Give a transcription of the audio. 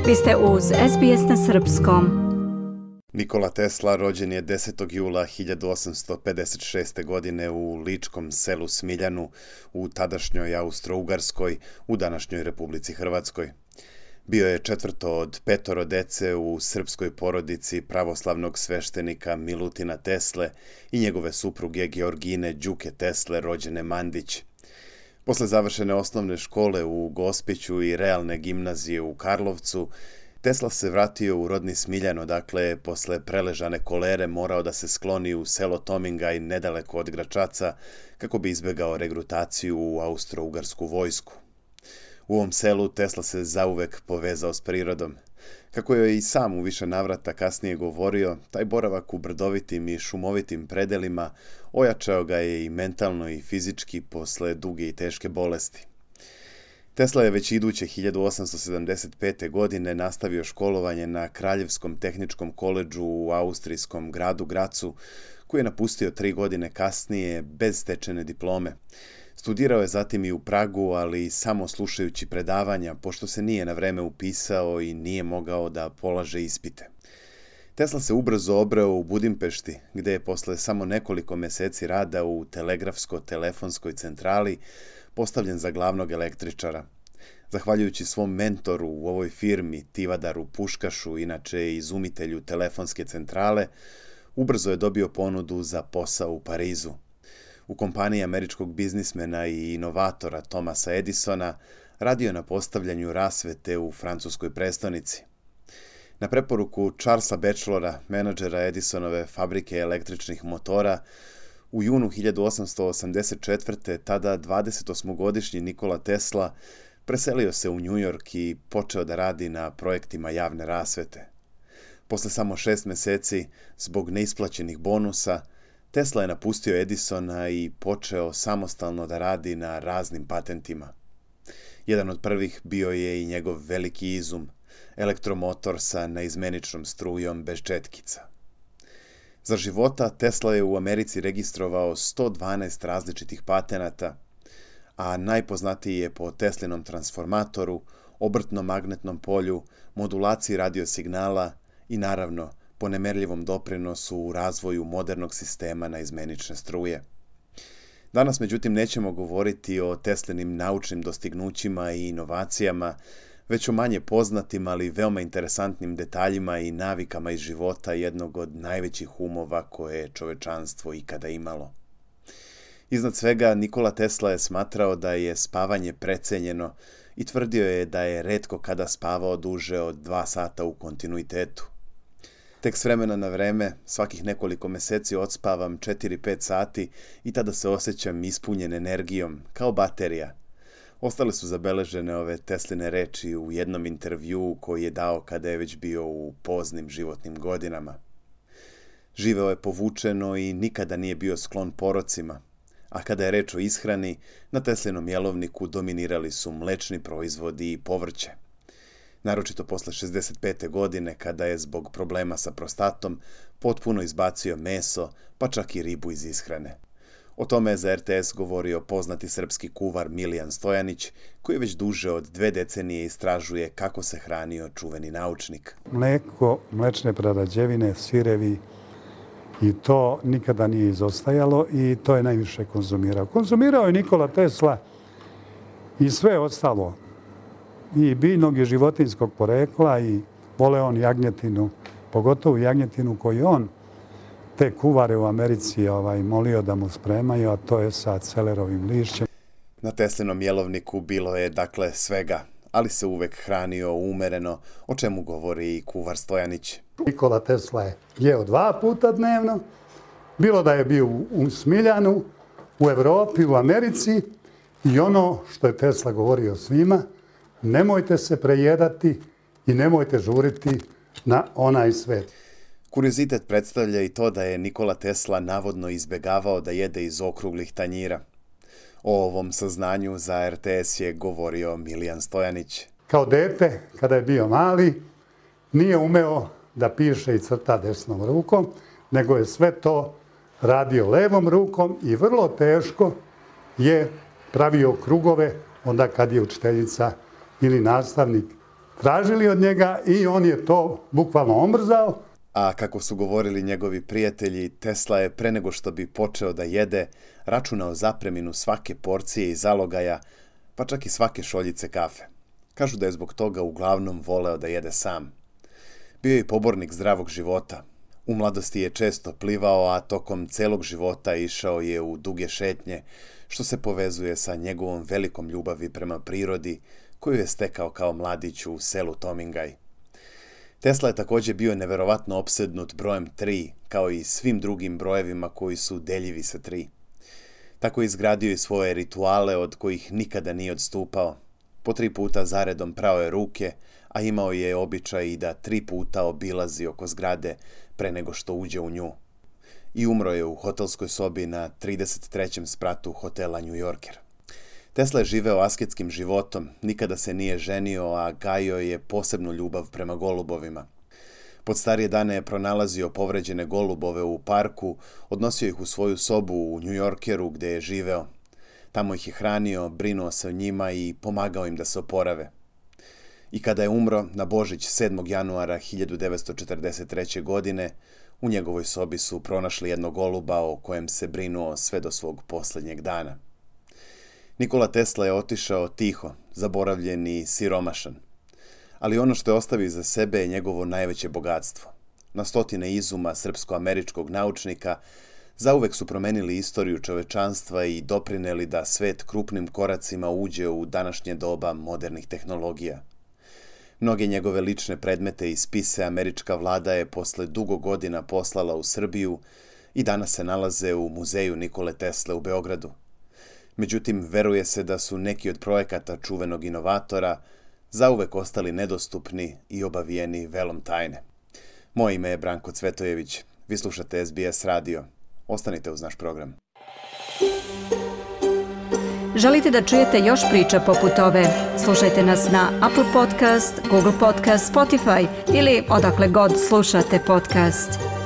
Vi ste uz SBS na srpskom. Nikola Tesla rođen je 10. jula 1856. godine u ličkom selu Smiljanu u tadašnjoj Austro-Ugarskoj, u današnjoj Republici Hrvatskoj. Bio je četvrto od 5 dece u srpskoj porodici pravoslavnog sveštenika Milutina Tesle i njegove supruge Georgine Đuke Tesle, rođene Mandić. Posle završene osnovne škole u Gospiću i realne gimnazije u Karlovcu, Tesla se vratio u rodni Smiljan, odakle posle preležane kolere morao da se skloni u selo Tomingaj nedaleko od Gračaca kako bi izbegao regrutaciju u austro-ugarsku vojsku. U ovom selu Tesla se zauvek povezao s prirodom. Kako je i sam u više navrata kasnije govorio, taj boravak u brdovitim i šumovitim predelima ojačao ga je i mentalno i fizički posle duge i teške bolesti. Tesla je već iduće 1875. godine nastavio školovanje na Kraljevskom tehničkom koledžu u austrijskom gradu Gracu, koji je napustio 3 godine kasnije bez stečene diplome. Studirao je zatim i u Pragu, ali samo slušajući predavanja, pošto se nije na vreme upisao i nije mogao da polaže ispite. Tesla se ubrzo obreo u Budimpešti, gde je posle samo nekoliko meseci rada u telegrafsko-telefonskoj centrali postavljen za glavnog električara. Zahvaljujući svom mentoru u ovoj firmi, Tivadaru Puškašu, inače izumitelju telefonske centrale, ubrzo je dobio ponudu za posao u Parizu. U kompaniji američkog biznismena i inovatora Thomasa Edisona radio na postavljanju rasvete u francuskoj prestonici. Na preporuku Charlesa Batchelora, menadžera Edisonove fabrike električnih motora, u junu 1884. tada 28-godišnji Nikola Tesla preselio se u New York i počeo da radi na projektima javne rasvete. Posle samo 6 meseci, zbog neisplaćenih bonusa, Tesla je napustio Edisona i počeo samostalno da radi na raznim patentima. Jedan od prvih bio je i njegov veliki izum, elektromotor sa neizmeničnom strujom bez četkica. Za života Tesla je u Americi registrovao 112 različitih patenata, a najpoznatiji je po Teslinom transformatoru, obrtnom magnetnom polju, modulaciji radiosignala i naravno po nemerljivom doprinosu u razvoju modernog sistema naizmenične struje. Danas, međutim, nećemo govoriti o Teslinim naučnim dostignućima i inovacijama, već o manje poznatim, ali veoma interesantnim detaljima i navikama iz života jednog od najvećih umova koje je čovečanstvo ikada imalo. Iznad svega, Nikola Tesla je smatrao da je spavanje precenjeno i tvrdio je da je retko kada spavao duže od 2 sata u kontinuitetu. Tek s vremena na vreme, svakih nekoliko meseci odspavam 4-5 sati i tada se osjećam ispunjen energijom, kao baterija. Ostale su zabeležene ove Tesline reči u jednom intervjuu koji je dao kada je već bio u poznim životnim godinama. Živeo je povučeno i nikada nije bio sklon porocima, a kada je reč o ishrani, na Teslinom jelovniku dominirali su mlečni proizvodi i povrće. Naročito posle 65. godine, kada je zbog problema sa prostatom potpuno izbacio meso, pa čak i ribu iz ishrane. O tome je za RTS govorio poznati srpski kuvar Milijan Stojanić, koji već duže od 2 decenije istražuje kako se hranio čuveni naučnik. Mleko, mlečne prerađevine, sirevi, i to nikada nije izostajalo i to je najviše konzumirao. Konzumirao je Nikola Tesla i sve ostalo. I biljnog i životinjskog porekla i vole on jagnjetinu, pogotovo jagnjetinu koju on te kuvare u Americi molio da mu spremaju, a to je sa celerovim lišćem. Na Teslinom jelovniku bilo je dakle svega, ali se uvek hranio umereno, o čemu govori i kuvar Stojanić. Nikola Tesla je jeo 2 puta dnevno, bilo da je bio u Smiljanu, u Evropi, u Americi, i ono što je Tesla govorio svima, nemojte se prejedati i nemojte žuriti na onaj svet. Kuriozitet predstavlja i to da je Nikola Tesla navodno izbegavao da jede iz okruglih tanjira. O ovom saznanju za RTS je govorio Milijan Stojanić. Kao dete, kada je bio mali, nije umeo da piše i crta desnom rukom, nego je sve to radio levom rukom i vrlo teško je pravio krugove onda kad je učiteljica ili nastavnik tražili od njega i on je to bukvalno omrzao. A kako su govorili njegovi prijatelji, Tesla je pre nego što bi počeo da jede, računao zapreminu svake porcije i zalogaja, pa čak i svake šoljice kafe. Kažu da je zbog toga uglavnom voleo da jede sam. Bio je pobornik zdravog života. U mladosti je često plivao, a tokom celog života išao je u duge šetnje, što se povezuje sa njegovom velikom ljubavi prema prirodi, koju je stekao kao mladić u selu Tomingaj. Tesla je također bio neverovatno opsednut brojem 3, kao i svim drugim brojevima koji su deljivi sa 3. Tako je izgradio i svoje rituale od kojih nikada nije odstupao. Po 3 puta zaredom prao je ruke, a imao je običaj i da 3 puta obilazi oko zgrade pre nego što uđe u nju. I umro je u hotelskoj sobi na 33. spratu hotela New Yorker. Tesla je živeo asketskim životom, nikada se nije ženio, a gajio je posebnu ljubav prema golubovima. Pod starije dane je pronalazio povređene golubove u parku, odnosio ih u svoju sobu u New Yorkeru gde je živeo. Tamo ih je hranio, brinuo se o njima i pomagao im da se oporave. I kada je umro na Božić 7. januara 1943. godine, u njegovoj sobi su pronašli jednog goluba o kojem se brinuo sve do svog posljednjeg dana. Nikola Tesla je otišao tiho, zaboravljen i siromašan. Ali ono što je ostavio iza sebe je njegovo najveće bogatstvo. Na stotine izuma srpsko-američkog naučnika zauvek su promenili istoriju čovečanstva i doprineli da svet krupnim koracima uđe u današnje doba modernih tehnologija. Mnoge njegove lične predmete i spise američka vlada je posle dugo godina poslala u Srbiju i danas se nalaze u muzeju Nikole Tesle u Beogradu. Međutim, veruje se da su neki od projekata čuvenog inovatora zauvek ostali nedostupni i obavijeni velom tajne. Moje ime je Branko Cvetojević. Vi slušate SBS radio. Ostanite uz naš program. Želite da čujete još priča poput ove? Slušajte nas na Apple Podcast, Google Podcast, Spotify ili odakle god slušate podcast.